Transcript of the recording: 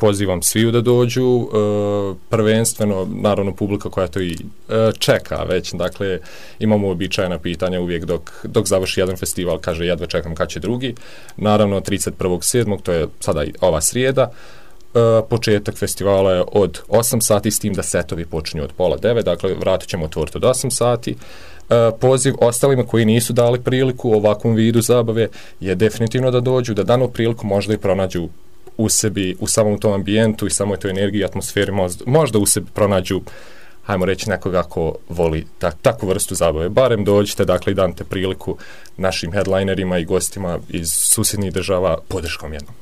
pozivam sviju da dođu, prvenstveno, naravno, publika koja to i čeka već, dakle, imamo uobičajena pitanja uvijek dok završi jedan festival, kaže jedva čekam kad će drugi. Naravno, 31.7. to je sada ova srijeda. Početak festivala je od 8 sati, s tim da setovi počinju od pola 9, dakle vratit ćemo otvoriti od 8 sati. Poziv ostalima koji nisu dali priliku u ovakvom vidu zabave je definitivno da dođu, da danu priliku, možda i pronađu u sebi, u samom tom ambijentu i samoj toj energiji, atmosferi, možda u sebi pronađu, hajmo reći, nekoga ko voli takvu vrstu zabave. Barem dođite, dakle, i dante priliku našim headlinerima i gostima iz susjednih država podrškom jednom.